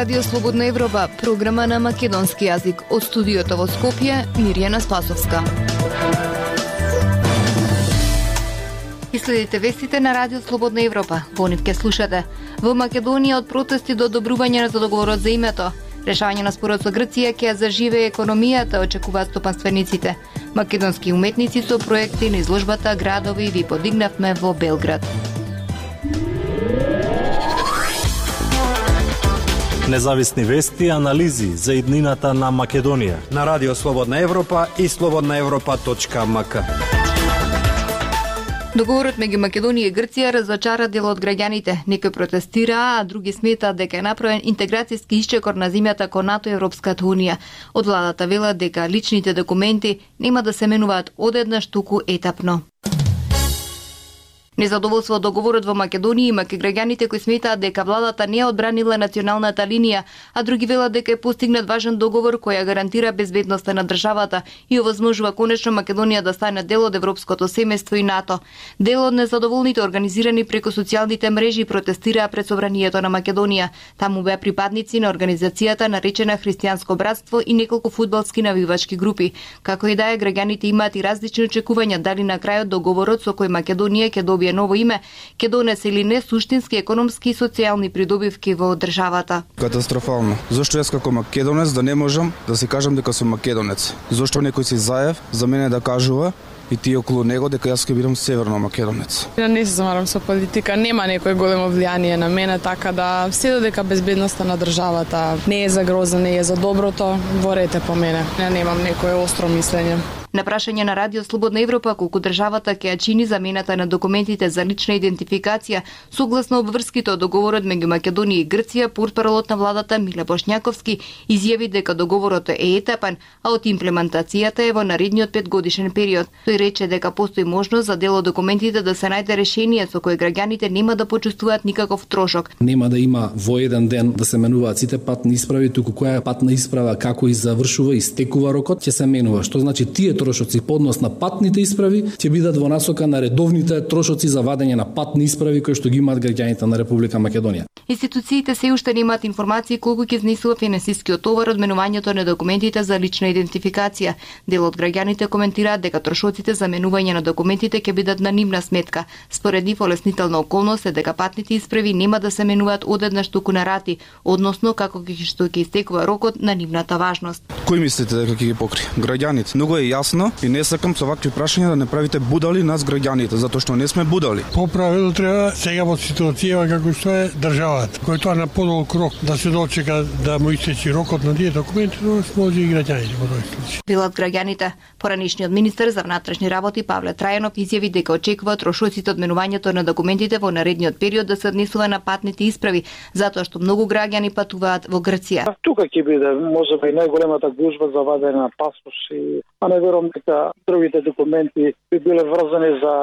Радио Слободна Европа, програма на македонски јазик. Од студиото во Скопје, Мирјана Спасовска. И следите вестите на Радио Слободна Европа. Во нив ке слушате. Во Македонија од протести до одобрување за договорот за името. Решавање на спорот со Грција ќе заживее економијата, очекуваат стопанствениците. Македонски уметници со проекти на изложбата Градови ви подигнавме во Белград. Независни вести и анализи за иднината на Македонија на Радио Слободна Европа и slobodnaevropa.mk. Договорот меѓу Македонија и Грција разочара дел од граѓаните. Некои протестираа, а други сметаат дека е направен интеграцијски исчекор на земјата кон НАТО и Европската унија. Од владата велат дека личните документи нема да се менуваат одеднаш, туку етапно. Незадоволство од договорот во Македонија има кај граѓаните кои сметаат дека владата не ја одбранила националната линија, а други велат дека е постигнат важен договор кој ја гарантира безбедноста на државата и овозможува конечно Македонија да стане дел од европското семејство и НАТО. Дел од незадоволните организирани преку социјалните мрежи протестираа пред собранието на Македонија. Таму беа припадници на организацијата наречена Христијанско братство и неколку фудбалски навивачки групи. Како и да е, граѓаните имаат и различни очекувања дали на крајот договорот со кој Македонија ќе добие ново име ќе донесе или не суштински економски и социјални придобивки во државата. Катастрофално. Зошто јас како македонец да не можам да си кажам дека сум македонец? Зошто некој си заев за мене да кажува и тие околу него дека јас ќе бидам северно македонец? Ja не се замарам со политика, нема некој големо влијание на мене, така да се додека безбедноста на државата не е за гроза, не е за доброто, борете по мене. Ja немам некое остро мислење. На прашање на Радио Слободна Европа колку државата ќе ја чини замената на документите за лична идентификација согласно обврските од договорот меѓу Македонија и Грција, портпаролот на владата Миле Бошњаковски изјави дека договорот е етапен, а од имплементацијата е во наредниот 5-годишен период. Тој рече дека постои можност за дел од документите да се најде решение со кое граѓаните нема да почувствуваат никаков трошок. Нема да има во еден ден да се менуваат сите патни исправи, туку која патна исправа како и завршува и стекува рокот ќе се менува, што значи тие трошоци по однос на патните исправи ќе бидат во насока на редовните трошоци за вадење на патни исправи кои што ги имаат граѓаните на Република Македонија. Институциите се уште немаат информации колку ќе изнесува финансискиот товар од менувањето на документите за лична идентификација. Дел од граѓаните коментираат дека трошоците за менување на документите ќе бидат на нивна сметка. Според нив олеснителна околност е дека патните исправи нема да се менуваат одеднаш, туку на рати, односно како што ќе истекува рокот на нивната важност. Кој мислите дека ќе ги покри? Граѓаните. Многу е јасно и не сакам со вакви прашања да не правите будали нас граѓаните, затоа што не сме будали. По правило треба сега во ситуација како што е државата, кој тоа на подолг рок да се дочека да му истече рокот на тие документи, може и граѓаните во тој случај. Велат граѓаните. Поранишниот министер за внатрешни работи Павле Трајанов изјави дека очекува трошоците од менувањето на документите во наредниот период да се однесува на патните исправи, затоа што многу граѓани патуваат во Грција. Тука ќе биде можеби најголемата гужва за вадење на паспорти, а не верувам дека другите документи би биле врзани за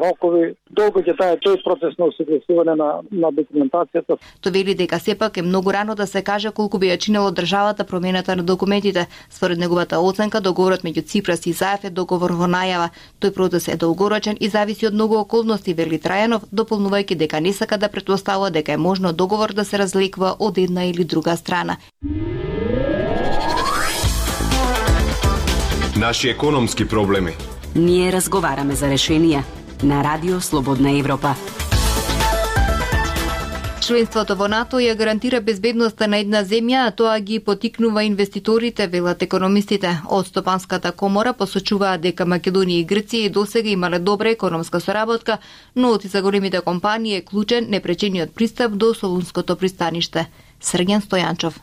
рокови. Долго ќе трае тој процес на осогласување на документацијата. Тој вели дека сепак е многу рано да се каже колку би ја чинело државата промената на документите. Според неговата оценка, договорот меѓу Ципрас и Заев е договор во најава. Тој процес е долгорочен и зависи од многу околности, вели Трајанов, дополнувајќи дека не сака да претпоставува дека е можно договор да се разликува од една или друга страна. Наши економски проблеми. Ние разговараме за решенија на Радио Слободна Европа. Членството во НАТО ја гарантира безбедноста на една земја, а тоа ги потикнува инвеститорите, велат економистите. Од Стопанската комора посочуваат дека Македонија и Грција и досега имале добра економска соработка, но од за големите компании е клучен непречениот пристап до Солунското пристаниште. Срѓан Стојанчов.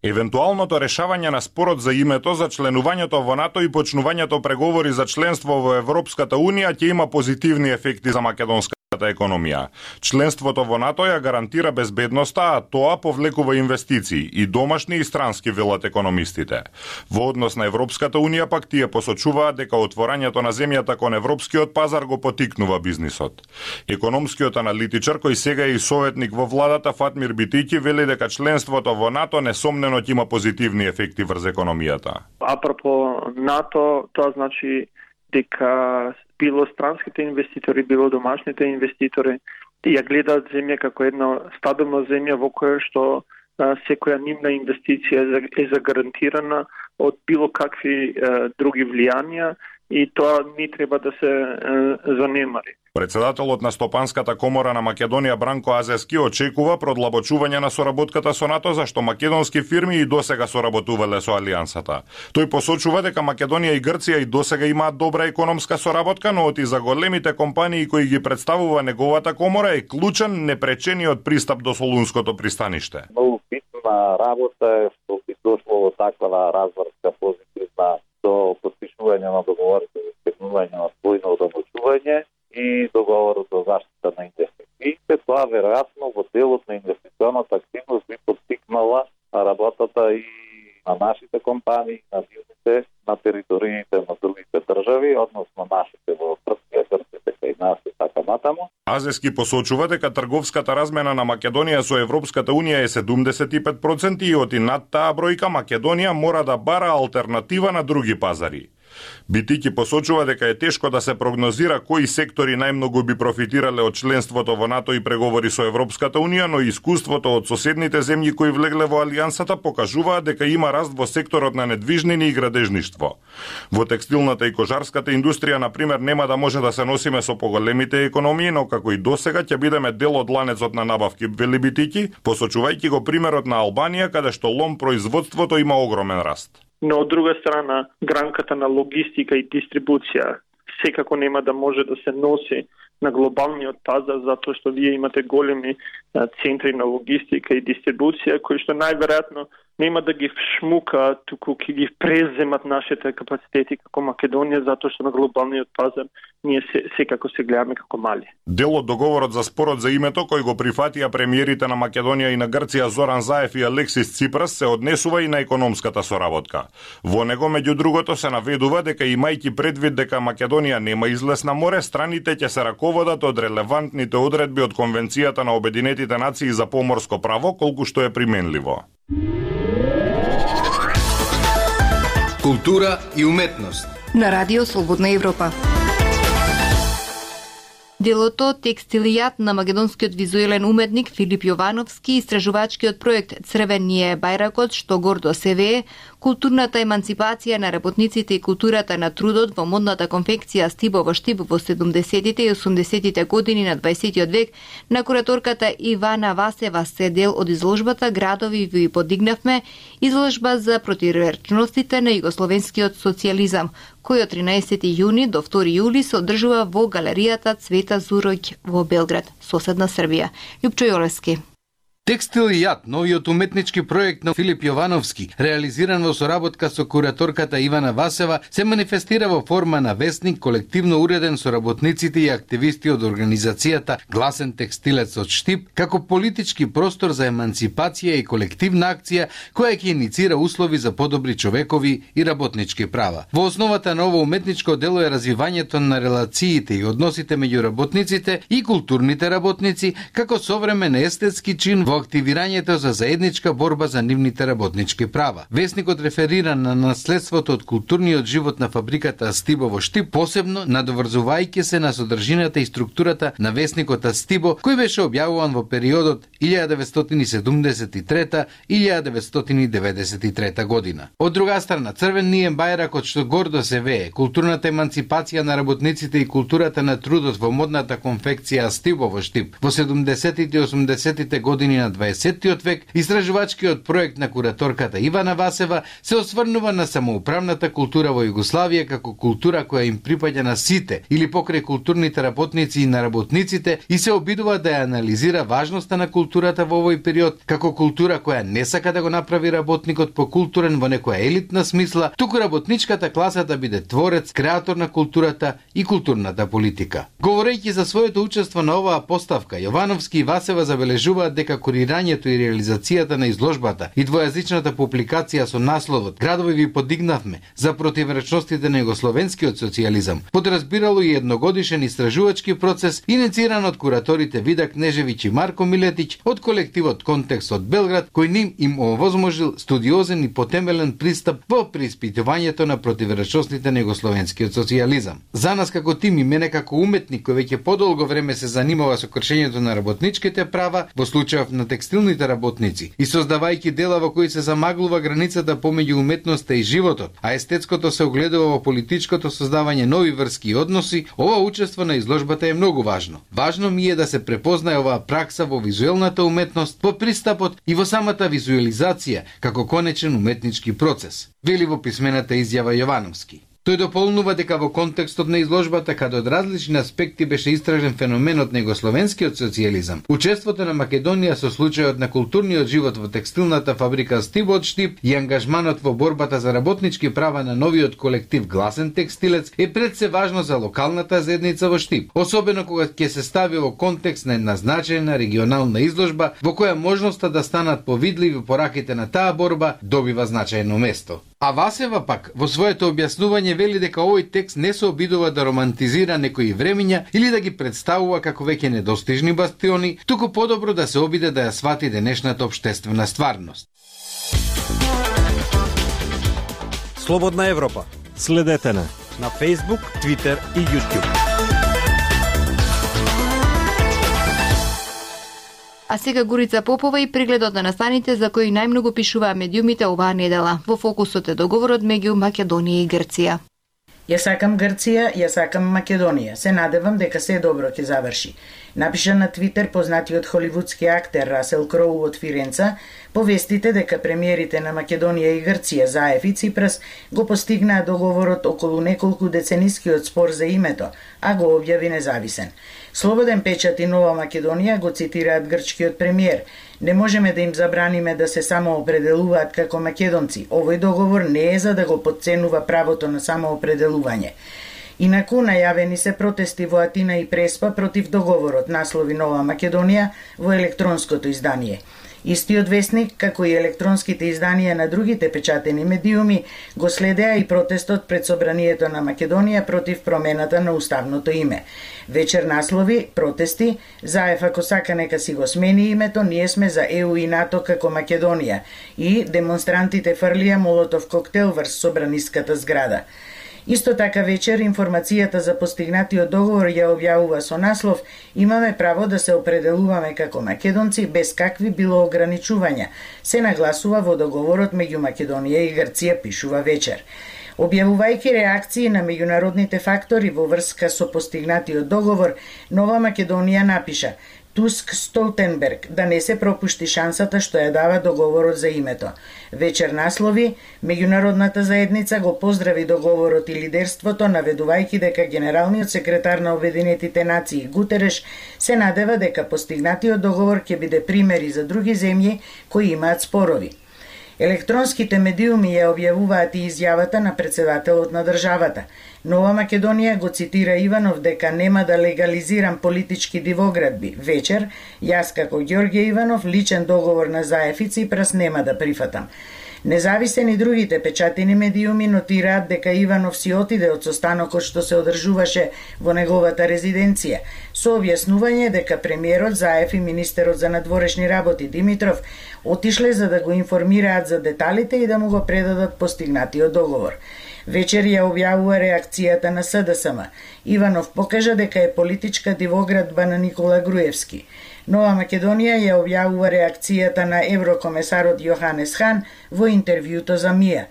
Евентуалното решавање на спорот за името за членувањето во НАТО и почнувањето преговори за членство во Европската Унија ќе има позитивни ефекти за македонската економија. Членството во НАТО ја гарантира безбедноста, а тоа повлекува инвестиции и домашни и странски, велат економистите. Во однос на Европската Унија пак тие посочуваат дека отворањето на земјата кон европскиот пазар го потикнува бизнисот. Економскиот аналитичар кој сега е и советник во владата Фатмир Битики вели дека членството во НАТО несомнено ќе има позитивни ефекти врз економијата. Апропо НАТО, тоа значи дека било странските инвеститори, било домашните инвеститори, ја гледаат земја како една стабилна земја во која што секоја нивна инвестиција е загарантирана од било какви други влијанија и тоа не треба да се занемари. Председателот на Стопанската комора на Македонија Бранко Азески очекува продлабочување на соработката со НАТО, зашто македонски фирми и досега соработувале со Алијансата. Тој посочува дека Македонија и Грција и досега имаат добра економска соработка, но оти за големите компании кои ги представува неговата комора е клучен непречениот пристап до Солунското пристаниште. Многу битна работа е што би дошло до таква разврска позитивна до подпишување на договорите за избегнување на двојно одомочување и договорот за заштита на инвестициите. Тоа веројатно во делот на инвестиционата активност би поттикнала работата и на нашите компании, на бизнесите, на териториите на другите држави, односно нашите во Српска, Грција и нас и така натаму. Азески посочува дека трговската размена на Македонија со Европската Унија е 75% и оти над таа бројка Македонија мора да бара алтернатива на други пазари. Битики посочува дека е тешко да се прогнозира кои сектори најмногу би профитирале од членството во НАТО и преговори со Европската Унија, но искуството од соседните земји кои влегле во Алијансата покажуваат дека има раст во секторот на недвижнини и градежништво. Во текстилната и кожарската индустрија, например, нема да може да се носиме со поголемите економии, но како и досега ќе бидеме дел од ланецот на набавки, вели Битики, посочувајќи го примерот на Албанија, каде што лом производството има огромен раст. Но од друга страна, гранката на логистика и дистрибуција секако нема да може да се носи на глобалниот пазар, затоа што вие имате големи центри на логистика и дистрибуција, кои што најверојатно нема да ги вшмука, туку ќе ги преземат нашите капацитети како Македонија, затоа што на глобалниот пазар ние секако се гледаме како мали. Дел од договорот за спорот за името, кој го прифатија премиерите на Македонија и на Грција Зоран Заев и Алексис Ципрас, се однесува и на економската соработка. Во него, меѓу другото, се наведува дека имајќи предвид дека Македонија нема излез на море, страните ќе се раководат од релевантните одредби од Конвенцијата на Обединетите нации за поморско право, колку што е применливо. Култура и уметност на Радио Слободна Европа. Делото Текстилијат на македонскиот визуелен уметник Филип Јовановски, истражувачкиот проект Црвеније бајракот, што гордо се вее, културната еманципација на работниците и културата на трудот во модната конфекција Стибо во Штип во 70-тите и 80-тите години на 20-тиот век, на кураторката Ивана Васева се дел од изложбата Градови ви подигнавме, изложба за противречностите на југословенскиот социјализам, кој од 13 јуни до 2 јули се одржува во галеријата Цвета Зуроќ во Белград, соседна Србија. Љупчо Јолевски. Текстилијат, новиот уметнички проект на Филип Јовановски, реализиран во соработка со кураторката Ивана Васева, се манифестира во форма на весник, колективно уреден со работниците и активисти од организацијата Гласен текстилец од Штип, како политички простор за еманципација и колективна акција која ќе иницира услови за подобри човекови и работнички права. Во основата на ово уметничко дело е развивањето на релациите и односите меѓу работниците и културните работници, како современ естетски чин во активирањето за заедничка борба за нивните работнички права. Весникот реферира на наследството од културниот живот на фабриката Стибо во Штип, посебно надоврзувајќи се на содржината и структурата на весникот Стибо, кој беше објавуван во периодот 1973-1993 година. Од друга страна, Црвеније бајракот, што гордо се вее, културната еманципација на работниците и културата на трудот во модната конфекција Стибо во Штип во 70-тите и 80-тите години на 20-тиот век, истражувачкиот проект на кураторката Ивана Васева се осврнува на самоуправната култура во Југославија како култура која им припаѓа на сите или покрај културните работници и на работниците и се обидува да ја анализира важноста на културата во овој период како култура која не сака да го направи работникот покултурен во некоја елитна смисла, туку работничката класа да биде творец, креатор на културата и културната политика. Говорејќи за своето учество на оваа поставка, Јовановски и Васева забележуваат дека курирањето и реализацијата на изложбата и двојазичната публикација со насловот Градови ви подигнавме за противречностите на југословенскиот социјализам подразбирало и едногодишен истражувачки процес инициран од кураторите Вида Кнежевиќ и Марко Милетиќ од колективот Контекст од Белград, кој им овозможил студиозен и потемелен пристап во преиспитувањето на противречностите на југословенскиот социјализам. За нас како тим и мене како уметник кој веќе подолго време се занимава со кршењето на работничките права, во случајов на на текстилните работници и создавајќи дела во кои се замаглува границата помеѓу уметноста и животот, а естетското се огледува во политичкото создавање нови врски и односи, ова учество на изложбата е многу важно. Важно ми е да се препознае оваа пракса во визуелната уметност, во пристапот и во самата визуализација како конечен уметнички процес, вели во писмената изјава Јовановски. Тој дополнува дека во контекстот на изложбата, каде од различни аспекти беше истражен феноменот на југословенскиот социјализам, учеството на Македонија со случајот на културниот живот во текстилната фабрика Штип од Штип и ангажманот во борбата за работнички права на новиот колектив Гласен текстилец е пред се важно за локалната заедница во Штип, особено кога ќе се стави во контекст на една значајна регионална изложба во која можноста да станат повидливи пораките на таа борба добива значајно место. А Васева пак во своето објаснување вели дека овој текст не се обидува да романтизира некои времиња или да ги представува како веќе недостижни бастиони, туку подобро да се обиде да ја свати денешната општествена стварност. Слободна Европа. Следете на Facebook, Twitter и YouTube. А сега Горица Попова и прегледот на настаните за кои најмногу пишуваа медиумите оваа недела. Во фокусот е договорот меѓу Македонија и Грција. Ја сакам Грција, ја сакам Македонија. Се надевам дека се добро ќе заврши. Напиша на Твитер познатиот холивудски актер Расел Кроу од Фиренца по вестите дека премиерите на Македонија и Грција Заев и Ципрас го постигнаа договорот околу неколку деценискиот спор за името, а го објави независен. Слободен печат и Нова Македонија го цитираат грчкиот премиер. Не можеме да им забраниме да се самоопределуваат како македонци. Овој договор не е за да го потценува правото на самоопределување. Инаку најавени се протести во Атина и Преспа против договорот, наслови Нова Македонија во електронското издание. Истиот вестник, како и електронските изданија на другите печатени медиуми, го следеа и протестот пред Собранието на Македонија против промената на уставното име. Вечер наслови, протести, Заев ако сака нека си го смени името, ние сме за ЕУ и НАТО како Македонија, и демонстрантите фрлија молотов коктел врз собраниската зграда. Исто така вечер информацијата за постигнатиот договор ја објавува со наслов "Имаме право да се определуваме како македонци без какви било ограничувања", се нагласува во договорот меѓу Македонија и Грција, пишува вечер. Објавувајќи реакции на меѓународните фактори во врска со постигнатиот договор, Нова Македонија напиша Туск Столтенберг да не се пропушти шансата што ја дава договорот за името. Вечер наслови, меѓународната заедница го поздрави договорот и лидерството, наведувајќи дека генералниот секретар на Обединетите нации Гутереш се надева дека постигнатиот договор ќе биде пример и за други земји кои имаат спорови. Електронските медиуми ја објавуваат и изјавата на председателот на државата. Нова Македонија го цитира Иванов дека нема да легализирам политички дивоградби. Вечер, јас како Ѓорѓе Иванов личен договор на Заев и Ципрас нема да прифатам. Независен и другите печатени медиуми нотираат дека Иванов си отиде од состанокот што се одржуваше во неговата резиденција, со објаснување дека премиерот Заев и министерот за надворешни работи Димитров отишле за да го информираат за деталите и да му го предадат постигнатиот договор. Вечер ја објавува реакцијата на СДСМ. Иванов покажа дека е политичка дивоградба на Никола Груевски. Нова Македонија ја објавува реакцијата на еврокомесарот Јоханес Хан во интервјуто за МИА.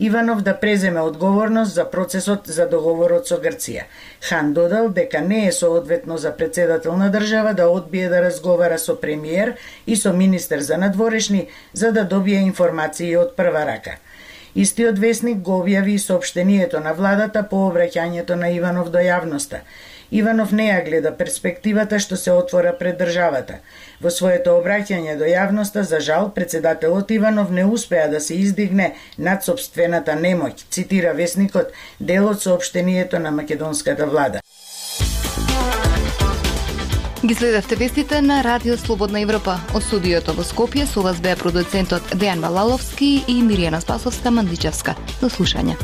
Иванов да преземе одговорност за процесот за договорот со Грција. Хан додал дека не е соодветно за председател на држава да одбие да разговара со премиер и со министер за надворешни за да добие информации од прва рака. Истиот вестник го објави и соопштението на владата по обраќањето на Иванов до јавноста. Иванов не ја гледа перспективата што се отвора пред државата. Во своето обраќање до јавноста, за жал, председателот Иванов не успеа да се издигне над сопствената немоќ, цитира вестникот дел од соопштението на македонската влада. Ги следевте вестите на Радио Слободна Европа. Од студиото во Скопје со вас беа продуцентот Дејан Валаловски и Миријана Спасовска-Мандичевска. До слушање.